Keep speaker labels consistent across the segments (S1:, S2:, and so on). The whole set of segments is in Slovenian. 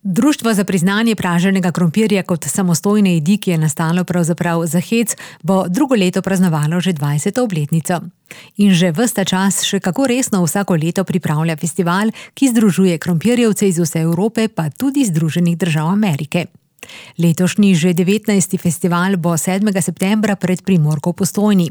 S1: Društvo za priznanje praženega krompirja kot samostojne jedi, ki je nastalo pravzaprav za hec, bo drugo leto praznovalo že 20. obletnico. In že ves ta čas še kako resno vsako leto pripravlja festival, ki združuje krompirjevce iz vse Evrope, pa tudi Združenih držav Amerike. Letošnji že 19. festival bo 7. septembra pred Primorko v Postojni.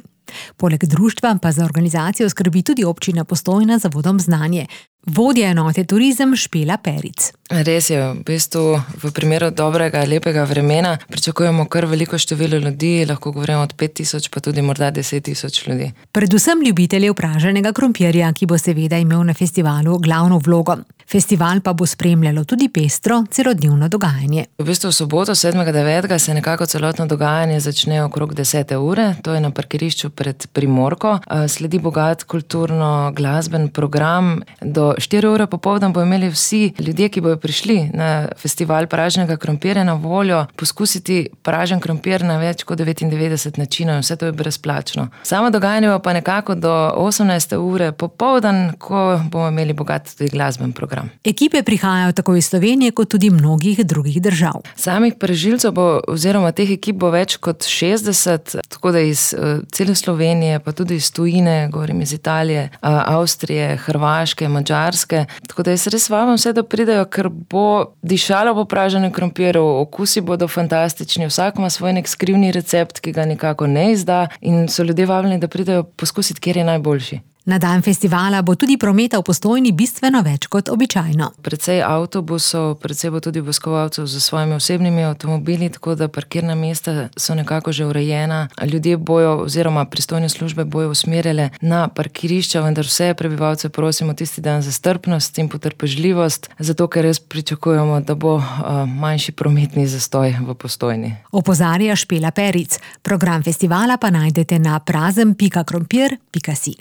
S1: Poleg društva pa za organizacijo skrbi tudi občina Postojna z Zavodom Znanje. Vodja enote Turizem Špela Peric.
S2: Res je, v bistvu v primeru dobrega, lepega vremena pričakujemo kar veliko število ljudi, lahko govorimo od 5,000 pa tudi morda 10,000 ljudi. Predvsem
S1: ljubiteljev praženega krompirja, ki bo seveda imel na festivalu glavno vlogo. Festival pa bo spremljalo tudi pestro celodnevno dogajanje.
S2: V bistvu v soboto 7.9. se nekako celotno dogajanje začne okrog 10. ure, to je na parkirišču pred Primorko. Sledi bogat kulturno-glasben program. Do 4 ure popoldan bo imeli vsi ljudje, ki bojo prišli na festival praženega krompirja na voljo, poskusiti pražen krompir na več kot 99 načinov in vse to je brezplačno. Samo dogajanje bo pa nekako do 18. ure popoldan, ko bomo imeli bogat tudi glasben program.
S1: Ekipe prihajajo tako iz Slovenije kot tudi mnogih drugih držav.
S2: Samih pražilcev oziroma teh ekip bo več kot 60, tako da iz cele Slovenije, pa tudi iz tujine, govorim iz Italije, Avstrije, Hrvaške, Madžarske. Tako da jaz res vabim vse, da pridejo, ker bo dišalo po praženem krompirju, okusi bodo fantastični, vsak ima svoj nek skrivni recept, ki ga nikako ne izda in so ljudje vabljeni, da pridejo poskusiti, kjer je najboljši.
S1: Na dan festivala bo tudi prometa v Postojni bistveno več kot običajno.
S2: Precej avtobusov, precej bo tudi obiskovalcev z svojimi osebnimi avtomobili, tako da parkirna mesta so nekako že urejena. Ljudje bojo oziroma pristojne službe bojo usmerjale na parkirišča, vendar vse prebivalce prosimo tisti dan za strpnost in potrpežljivost, zato ker res pričakujemo, da bo manjši prometni zastoj v Postojni.
S1: Opozarja Špela Peric. Program festivala pa najdete na prazen.krompir.si.